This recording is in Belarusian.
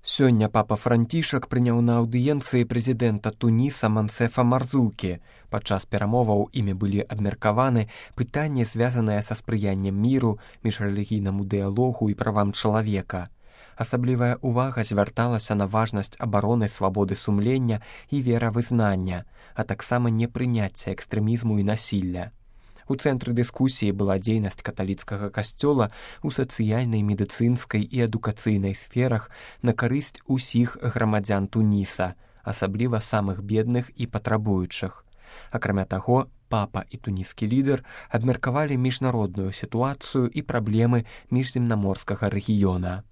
Сёння папа Францішак прыняў на аўдыенцыі прэзідэнта Туніса Мансефа Марзукі. Падчас перамоваў імі былі абмеркаваны пытанні, звязаныя са спрыяннем міру, міжрэлігійнаму дыялогу і правам чалавека. Асаблівая ўвага звярталася на важнасць абароны свабоды сумлення і веравызнання, а таксама непрыняцця экстрэмізму і насілля. У цэнтры дыскусіі была дзейнасць каталіцкага касцёла ў сацыяльнай, медыцынскай і адукацыйнай сферах на карысць усіх грамадзян Туніса, асабліва самых бедных і патрабуючых. Акрамя таго, папа і туніскі лідар абмеркавалі міжнародную сітуацыю і праблемы міжземнаморскага рэгіёна.